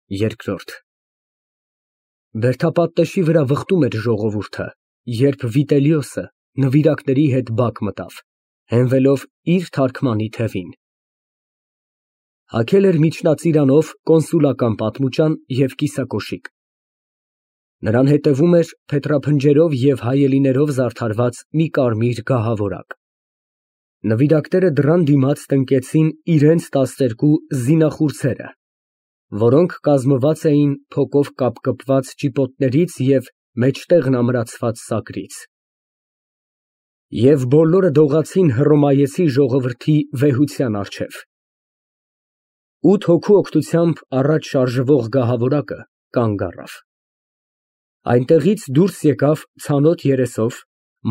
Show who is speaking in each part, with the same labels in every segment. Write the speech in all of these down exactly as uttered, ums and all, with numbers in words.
Speaker 1: Երկրորդ Բերդապատտեշի վրա վխտում էր ժողովուրդը, երբ Վիտելիոսը նվիրակների հետ բակ մտավ, հենվելով իր թարգմանի թևին. հագել էր միջնածիրանով կոնսուլական պատմուճան և կիսակոշիկ, նրան հետևում էր փետրափնջերով և հայելիներով զարդարված մի կարմիր գահավորակ, նվիրակները դռան դիմաց տնկեցին իրենց տասներկու զինախուրձերը, որոնք կազմված էին փոկով կապկպված ճիպոտներից և մեջտեղն ամրացված սակրից, և բոլորը դողացին հռոմայեցի ժողովրդի վեհության առջև, ութ հոգու օգնությամբ առաջ շարժվող գահավորակը կանգ առավ, այնտեղից դուրս եկավ ցանոթ երեսով,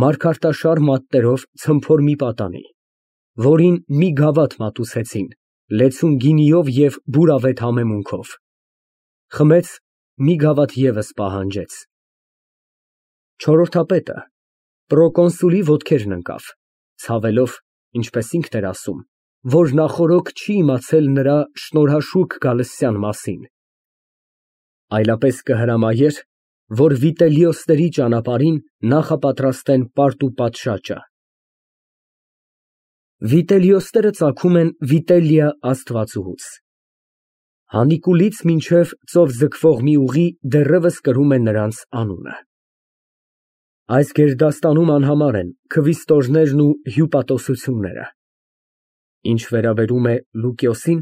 Speaker 1: մարգարտաշար մատներով ցմփոր մի պատանի, որին մի գավաթ մատուցեցին, լեցուն գինիով և բուրավետ համեմունքով, խմեց, մի գավաթ ևս պահանջեց, չորրորդապետը պրոկոնսուլի ոտքերն ընկավ, ցավելով, ինչպես ինքն էր ասում, որ նախօրոք չի իմացել նրա շնորհաշուք գալստյան մասին, այլապես կհրամայեր, որ Վիտելիոսների ճանապարհին նախապատրաստեն պարտ ու պատշաճը։ Վիտելիոսները ծագում են Վիտելիա աստվածուհուց, Հանիկուլից մինչև ծով ձգվող մի ուղի դեռևս կրում է նրանց անունը։ Այս գերդաստանում անհամար են քվիստորներն ու հյուպատոսությունները, ինչ վերաբերում է Լուկիոսին,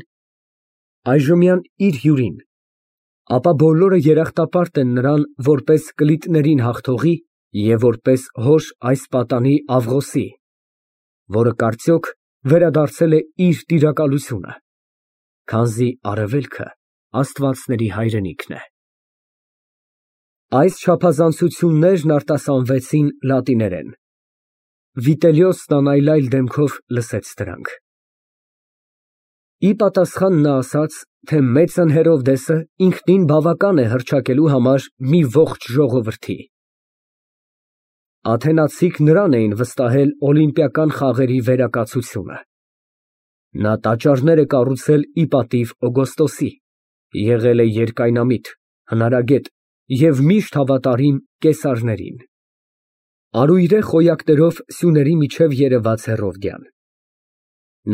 Speaker 1: այժմյան իր հյուրին, ապա բոլորը երախտապարտ են նրան որպես կլիտներին հաղթողի և որպես հոր այս պատանի Ավղոսի, որը կարծյոք վերադարձել է իր տիրակալությունը, քանզի արևելքը աստվածների հայրենիքն է։ Այս չափազանցություններն արտասանվեցին լատիներեն, Վիտելիոսն անայլայլ դեմքով լսեց դրանք։ Ի պատասխան նա ասաց, թե մեծն Հերովդեսը ինքնին բավական է հռչակելու համար մի ողջ ժողովրդի։ Աթենացիք նրան էին վստահել օլիմպիական խաղերի վերակացությունը։ Նա տաճարներ է կառուցել ի պատիվ Օգոստոսի, եղել է երկայնամիտ, հնարագետ և միշտ հավատարիմ կեսարներին։ Արույրե խոյակներով սյուների միջև երևաց Հերովդիան։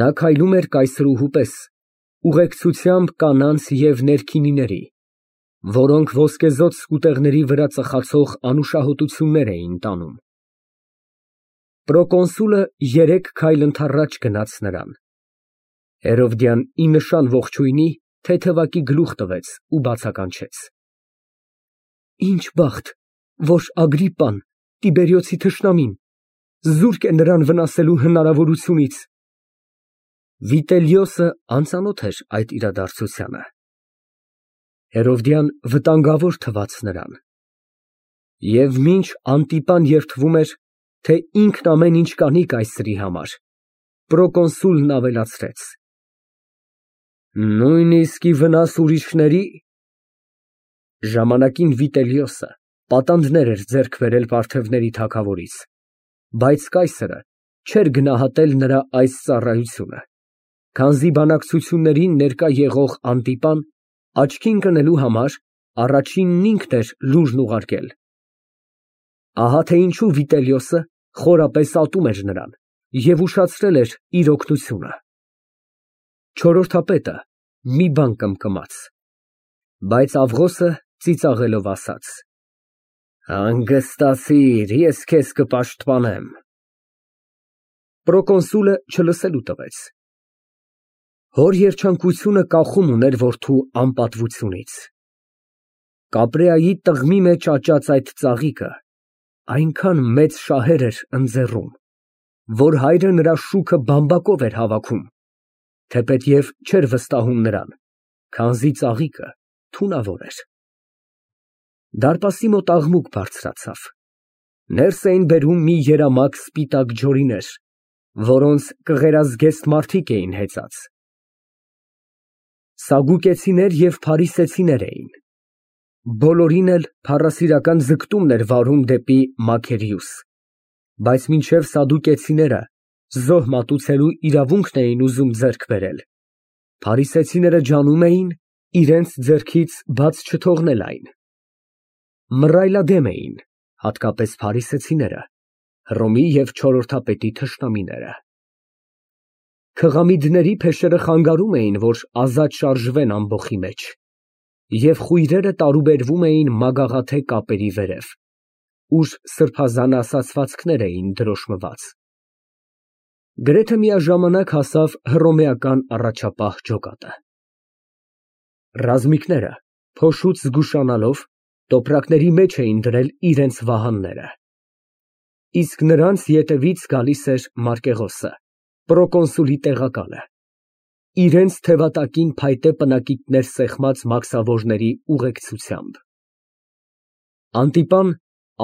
Speaker 1: Նա քայլում էր կայսրուհու պես, ուղեկցությամբ կանանց և ներքինիների, որոնք ոսկեզօծ սկուտեղների վրա ծխացող անուշահոտություններ էին տանում։ Պրոկոնսուլը երեք քայլ ընդառաջ գնաց նրան։ Հերովդիան ի նշան ողջույնի թեթևակի գլուխ տվեց ու բացականչեց. Ինչ բախտ, որ Ագրիպպան, Տիբերիոսի թշնամին, զուրկ է նրան վնասելու հնարավորությունից։ Վիտելիոսը անծանոթ էր այդ իրադարձությանը։ Հերովդիան վտանգավոր թվաց նրան։ Եվ մինչ Անտիպան երդվում էր, թե ինքն ամեն ինչ կանի կայսրի համար, պրոկոնսուլն ավելացրեց. Նույնիսկ ի վնաս ուրիշների։ Ժամանակին Վիտելիոսը պատանդներ էր ձեռք բերել պարթևների թագավորից, բայց կայսրը չէր գնահատել նրա այս ծառայությունը, քանզի բանակցություններին ներկա եղող Անտիպան աչքի ընկնելու համար առաջինն ինքն էր լուրն ուղարկել։ Ահա թե ինչու Վիտելիոսը խորապես ատում էր նրան և ուշացրել էր իր օգնությունը։ Չորրորդապետը մի բան կմկմաց, բայց Ավղոսը ծիծաղելով ասաց. Հանգստացիր, ես քեզ կպաշտպանեմ։ Պրոկոնսուլը չլսելու տվեց։ Հոր երջանկությունը կախում ուներ որդու անպատվությունից։ Կապրեայի տղմի մեջ աճած այդ ծաղիկը այնքան մեծ շահեր էր ընձեռում, որ հայրը նրա շուքը բամբակով էր հավաքում, թեպետև չէր վստահում նրան, քանզի ծաղիկը թունավոր էր։ Դարպասի մոտ աղմուկ բարձրացավ։ Ներս էին բերում մի երամակ սպիտակ ջորիներ, որոնց կղերազգեստ մարդիկ էին հեծած։ Սադուկեցիներ և փարիսեցիներ էին։ Բոլորին էլ փառասիրական ձգտումն էր վարում դեպի Մաքերիոս, բայց մինչև սադուկեցիները զոհ մատուցելու իրավունքն էին ուզում ձեռք բերել, փարիսեցիները ջանում էին, իրենց ձեռքից բաց չթողնել այն։ Մռայլադեմ էին, հատկապես փարիսեցիները, Հռոմի և չորրորդապետի թշնամիները։ Քղամիդների փեշերը խանգարում էին, որ ազատ շարժվեն ամբոխի մեջ, և խույրերը տարուբերվում էին մագաղաթե կապերի վերև, ուր սրբազան ասացվածքներ էին դրոշմված։ Գրեթե միաժամանակ հասավ հռոմեական առաջապահ ջոկատը։ Ռազմիկները, փոշուց զգուշանալով, տոպրակների մեջ էին դրել իրենց վահանները։ Իսկ նրանց ետևից գալիս էր Մարկեղոսը, պրոկոնսուլի տեղակալը, իրենց թևատակին փայտե պնակիթներ սեղմած մաքսավորների ուղեկցությամբ։ Անտիպան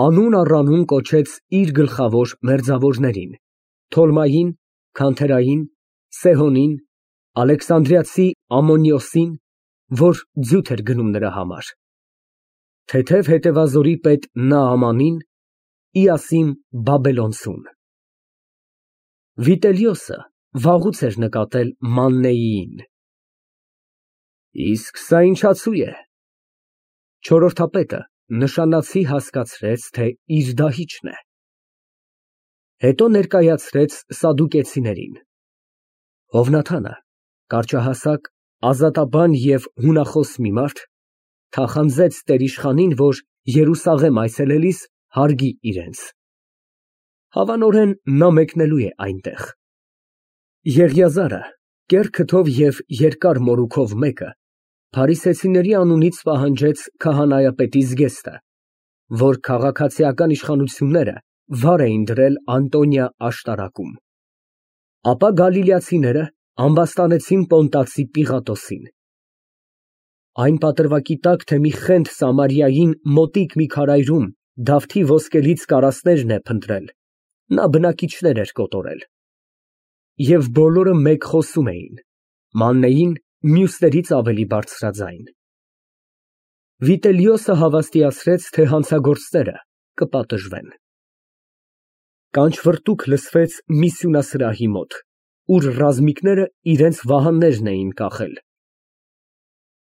Speaker 1: անուն առ անուն կոչեց իր գլխավոր մերձավորներին՝ Թոլմային, Քանթերային, Սեհոնին, Ալեքսանդրիացի Ամմոնիոսին, որ ձյուտ էր գնում նրա համար, թեթև հետևազորի պետ Նաամանին, Իասիմ Բաբելոնցուն։ Վիտելիոսը վաղուց էր նկատել Մաննեիին։ Իսկ սա ինչացու է։ Չորրորդապետը նշանացի հասկացրեց, թե իր դահիճն է։ Հետո ներկայացրեց սադուկեցիներին։ Հովնաթանը, կարճահասակ, ազատաբան և հունախոս մի մարդ, թախանձեց տերիշխանին, որ Երուսաղեմ այցելելիս հարգի իրենց։ Հավանորեն նա մեկնելու է այնտեղ։ Եղիազարը, կեռ քթով և երկար մորուքով մեկը, փարիսեցիների անունից պահանջեց քահանայապետի զգեստը, որ քաղաքացիական իշխանությունները վար էին դրել Անտոնիա աշտարակում։ Ապա գալիլեացիները ամբաստանեցին Պոնտացի Պիղատոսին։ Այն պատրվակի տակ, թե մի խենթ Սամարիային մոտիկ մի քարայրում Դավթի ոսկելից կարասներն է փնտրել, նա բնակիչներ էր կոտորել։ Եվ բոլորը մեկ խոսում էին, Մաննեին մյուսներից ավելի բարձրաձայն։ Վիտելիոսը հավաստիացրեց, թե հանցագործները կպատժվեն։ Կանչվրտուք լսվեց մի սյունասրահի մոտ, ուր ռազմիկները իրենց վահաններն էին կախել։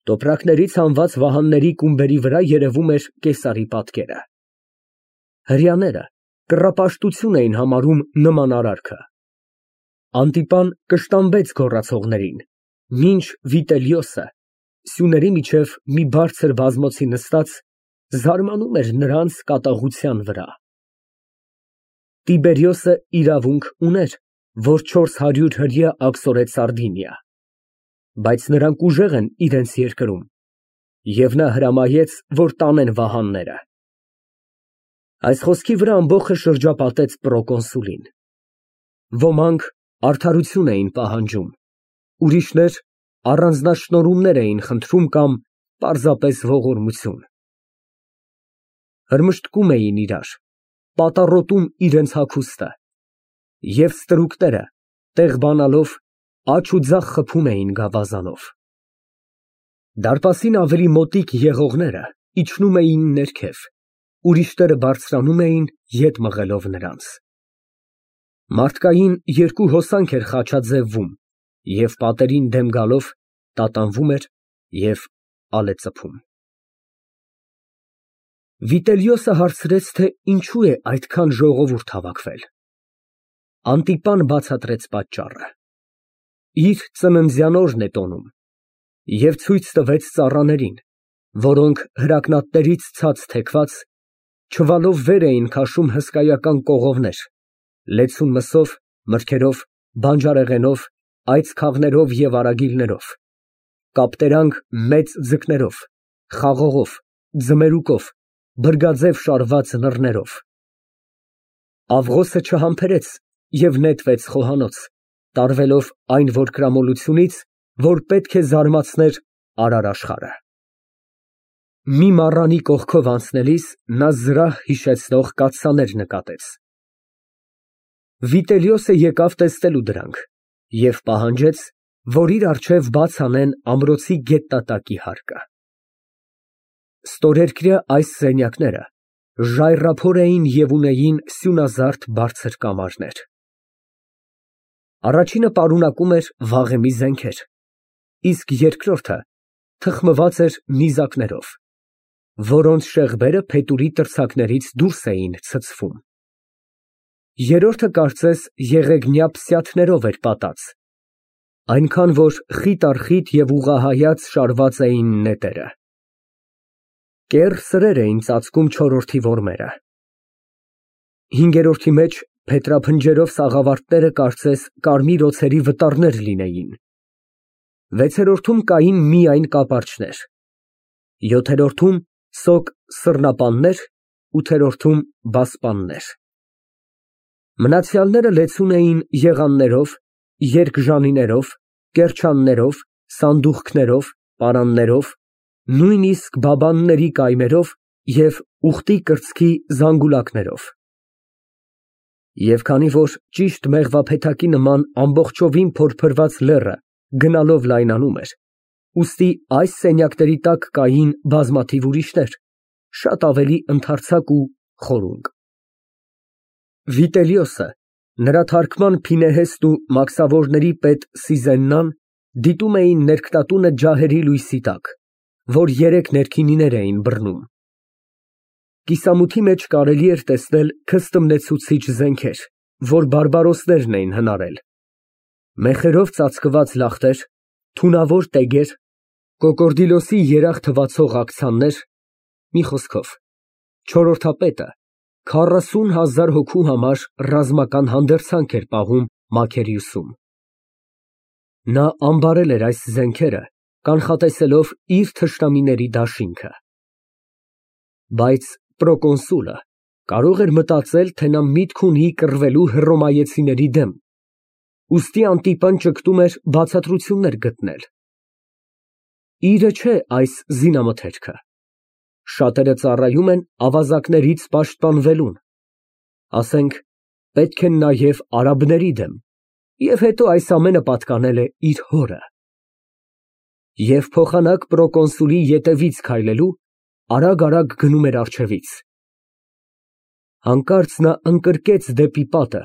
Speaker 1: Տոպրակներից հանված վահանների կումբերի վրա երևում էր կեսարի պատկերը։ Հրեաները կռապաշտություն էին համարում նման արարքը։ Անտիպան կշտամբեց գոռացողներին, մինչ Վիտելիոսը, սյուների միջև մի բարձր բազմոցի նստած, զարմանում էր նրանց կատաղության վրա։ Տիբերիոսը իրավունք ուներ, որ չորս հարյուր հրեա աքսորեց Սարդինիա, բայց նրանք ուժեղ են իրենց երկրում, և նա հրամայեց, որ տանեն վահանները։ Այս խոսքի վրա ամբոխը շրջապատեց պրոկոնսուլին։ Ոմանք արդարություն էին պահանջում, ուրիշներ առանձնաշնորհումներ էին խնդրում կամ պարզապես ողորմություն։ Հրմշտկում էին իրար, պատառոտում իրենց հագուստը, և ստրուկները, տեղ բանալով, աջ ու ձախ խփում էին գավազանով։ Դարպասին ավելի մոտիկ եղողները իջնում էին ներքև, ուրիշները բարձրանում էին, ետ մղելով նրանց։ Մարդկային երկու հոսանք էր խաչաձևվում և պատերին դեմ գալով տատանվում էր և ալեծփում։ Վիտելիոսը հարցրեց, թե ինչու է այդքան ժողովուրդ հավաքվել։ Անտիպան բացատրեց պատճառը։ Իր ծննդյան օրն է տոնում և ցույց տվեց ծառաներին, որոնք հրակնատներից ցած թեքված, չվալով վեր էին քաշում հսկայական կողովներ, լեցուն մսով, մրգերով, բանջարեղենով, այծքաղներով և արագիլներով, կապտերանք մեծ ձկներով, խաղողով, ձմերուկով, բրգաձև շարված նռներով։ Աղղոսը չհամբերեց և նետվեց խոհանոց, տարվելով այն որկրամոլությունից, որ պետք է զարմացներ արարաշխարը։ Մի մառանի կողքով անցնելիս նա զրահ հիշեցնող կաթսաներ նկատեց։ Վիտելիոսը եկավ տեսնելու դրանք և պահանջեց, որ իր առջև բաց անեն ամրոցի գետատակի հարկը։ Ստորերկրյա այս սենյակները ժայռափոր էին և ունեին սյունազարդ բարձր կամարներ։ Առաջինը պարունակում էր վաղեմի զենքեր, իսկ երկրորդը թխմված էր նիզակներով, որոնց շեղբերը փետուրի տրցակներից դուրս էին ցցվում։ Երրորդը կարծես եղեգնյա փսյաթներով էր պատած, այնքան, որ խիտ առ խիտ և ուղղահայաց շարված էին նետերը։ Կեռ սրեր էին ծածկում չորրորդի որմերը։ Հինգերորդի մեջ փետրափնջերով սաղավարտները կարծես կարմիր օձերի վտարներ լինեին։ Վեցերորդում կային միայն կապարճներ, յոթերորդում սոկ սռնապաններ, ութերորդում բասպաններ։ Մնացյալները լեցուն էին եղաններով, երկժանիներով, կեռչաններով, սանդուղքներով, պարաններով, նույնիսկ բաբանների կայմերով և ուխտի կրծքի զանգուլակներով։ Եվ քանի որ ճիշտ մեղվափեթակի նման ամբողջովին փորփրված լեռը գնալով լայնանում էր, ուստի այս սենյակների տակ կային բազմաթիվ ուրիշներ, շատ ավելի ընդարձակ ու խորունկ։ Վիտելիոսը, նրա թարգման փինեհեստ ու մաքսավորների պետ Սիզեննան դիտում էին ներքնատունը ջահերի լույսի տակ, որ երեք ներքինիներ էին բռնում։ Կիսամութի մեջ կարելի էր տեսնել քստմնեցուցիչ զենքեր, որ բարբարոսներն էին հնարել, մեխերով ծածկված լախտեր, թունավոր տեգեր, կոկորդիլոսի երախ թվացող աքցաններ, մի խոսքով, չորրորդապետը քառասուն հազար հոգու համար ռազմական հանդերձանք էր պահում Մաքերիուսում։ Նա ամբարել էր այս զենքերը, կանխատեսելով իր թշնամիների դաշինքը։ Բայց պրոկոնսուլը կարող էր մտածել, թե նա միտք ունի կռվելու հռոմայեցիների դեմ, ուստի Անտիպան ճգտում էր բացատրություններ գտնել։ Իրը չէ այս զինամթերքը։ Շատերը ծառայում են ավազակներից պաշտպանվելուն, ասենք, պետք են նաև արաբների դեմ, և հետո այս ամենը պատկանել է իր հորը։ Եվ փոխանակ պրոկոնսուլի ետևից քայլելու, արագ֊արագ գնում էր առջևից։ Հանկարծ նա ընկրկեց դեպի պատը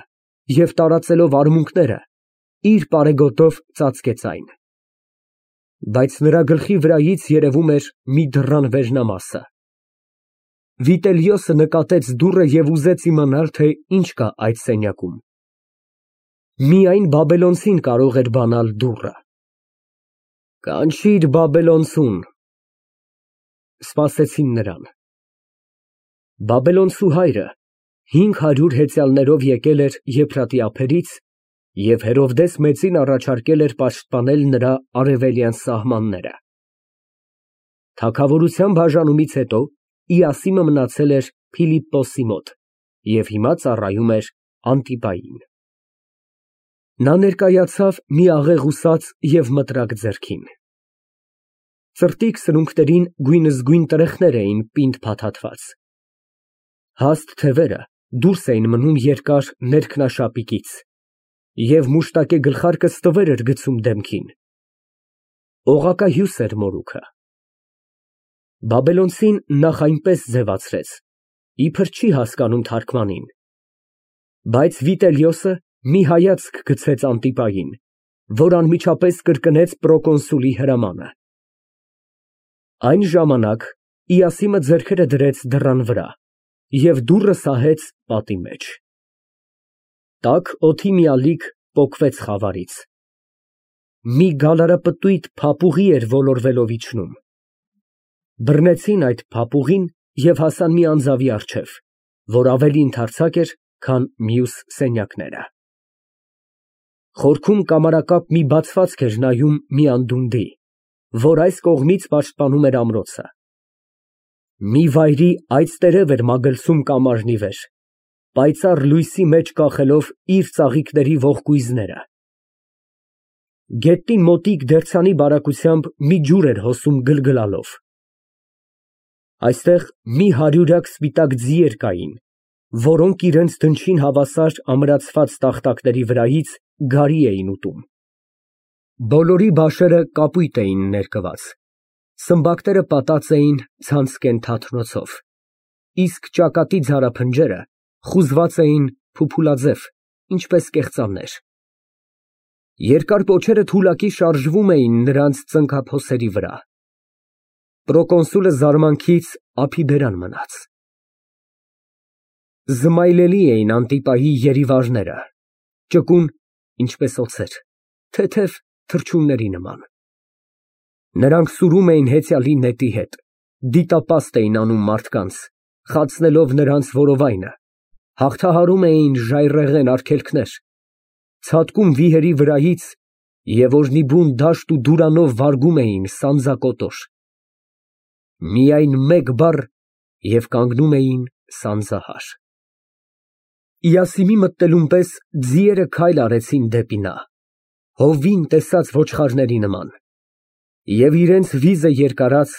Speaker 1: և տարածելով արմունկները, իր պարեգոտով ծածկեց այն։ Բայց նրա գլխի վրայից երևում էր մի դռան վերնամասը։ Վիտելիոսը նկատեց դուռը և ուզեց իմանալ, թե ինչ կա այդ սենյակում։ Միայն բաբելոնցին կարող էր բանալ դուռը։ Կանչիր բաբելոնցուն, սպասեցին նրան։ Բաբելոնցու հայրը հինգ հարյուր հեծյալներով եկել էր Եփրատի ափերից և Հերովդես մեծին առաջարկել էր պաշտպանել նրա արևելյան սահմանները։ Թագավորության բաժանումից հետո Իասիմը մնացել էր Փիլիպպոսի մոտ և հիմա ծառայում էր Անտիպային։ Նա ներկայացավ մի աղեղուսած և մտրակ ձեռքին։ Ծրտիկ սրունքներին գույնզգույն տրեխներ էին պինդ փաթաթված։ Հաստ թևերը դուրս էին մնում երկար ներքնաշապիկից, և մուշտակե գլխարկը ստվեր էր գցում դեմքին։ Օղակահյուս էր մորուքը։ Բաբելոնցին նախ այնպես ձևացրեց, իբր չի հասկանում թարգմանին, բայց Վիտելիոսը մի հայացք գցեց Անտիպային, որ անմիջապես կրկնեց պրոկոնսուլի հրամանը։ Այն ժամանակ Իասիմը ձեռքերը դրեց դռան վրա և դուռը սահեց պատի մեջ։ Տաք օդի մի ալիք պոկվեց խավարից։ Մի գալարապտույտ փափուղի էր ոլորվելով իջնում։ Բռնեցին այդ փափուղին և հասան մի անձավի առջև, որ ավելի ընդարձակ էր, քան մյուս սենյակները։ Խորքում կամարակապ մի բացվածք էր նայում մի անդունդի, որ այս կողմից պաշտպանում էր ամրոցը։ Մի վայրի այծտերև էր մագլցում կամարնի վեր, պայծառ լույսի մեջ կախելով իր ծաղիկների ողկույզները։ Գետնի մոտիկ դերձանի բարակությամբ մի ջուր էր հոսում գլգլալով։ Այստեղ մի հարյուրյակ սպիտակ ձիեր կային, որոնք իրենց դնչին հավասար ամրացված տախտակների վրայից գարի էին ուտում։ Բոլորի բաշերը կապույտ էին ներկված, սմբակները պատած էին ցանցկեն թաթնոցով, իսկ ճակատի ձարափնջերը խուզված էին փուփուլաձև, ինչպես կեղծամներ։ Երկար պոչերը թուլակի շարժվում էին նրանց ծնկափոսերի վրա։ Պրոկոնսուլը զարմանքից ափիբերան մնաց։ Զմայլելի էին Անտիպայի երիվարները, ճկուն, ինչպես օձեր, թեթև թռչունների նման։ Նրանք սուրում էին հեծյալի նետի հետ, դիտապաստ էին անում մարդկանց, խացնելով նրանց որովայնը, հաղթահարում էին ժայռերեն արգելքներ, ցատկում վիհերի վրայից և օրհնիբուն դաշտ ու դուրանով վարգում էին սանձակոտոր։ Միայն մեկ բառ և կանգնում էին սանձահար։ Իասիմի մտնելուն պես ձիերը քայլ արեցին դեպի նա, հովվին տեսած ոչխարների նման, և իրենց վիզը երկարած,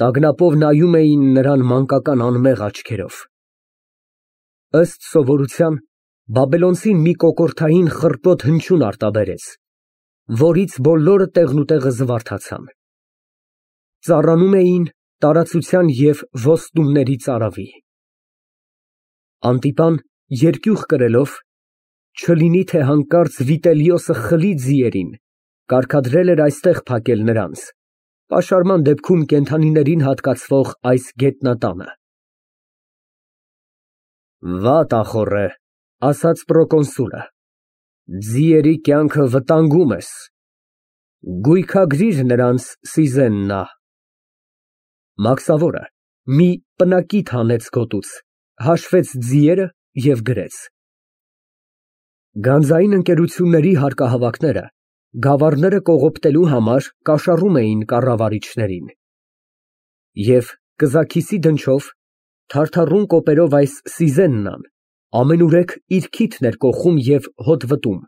Speaker 1: տագնապով նայում էին նրան մանկական անմեղ աչքերով։ Ըստ սովորության, բաբելոնցին մի կոկորդային խռպոտ հնչյուն արտաբերեց, որից բոլորը տեղնուտեղը զվարթացան։ Ծառանում էին տարածության և ոստումների ծարավի։ Անտիպան, երկյուղ կրելով, չլինի թե հանկարծ Վիտելիոսը խլի ձիերին, կարգադրել էր այստեղ փակել նրանց, պաշարման դեպքում կենդանիներին հատկացվող այս գետնատանը։ Վատ ախոռ է, ասաց պրոկոնսուլը, ձիերի կյանքը վտանգում ես, գույքագրիր նրանց սիզեննա։ Մաքսավորը մի պնակիթ հանեց գոտուց, հաշվեց ձիերը և գրեց։ Գանձային ընկերությունների հարկահավաքները գավառները կողոպտելու համար կաշառում էին կառավարիչներին, և կզաքիսի դնչով, թարթռուն կոպերով այս սիզեննան ամենուրեք իր քիթն էր կոխում և հոտ վտում։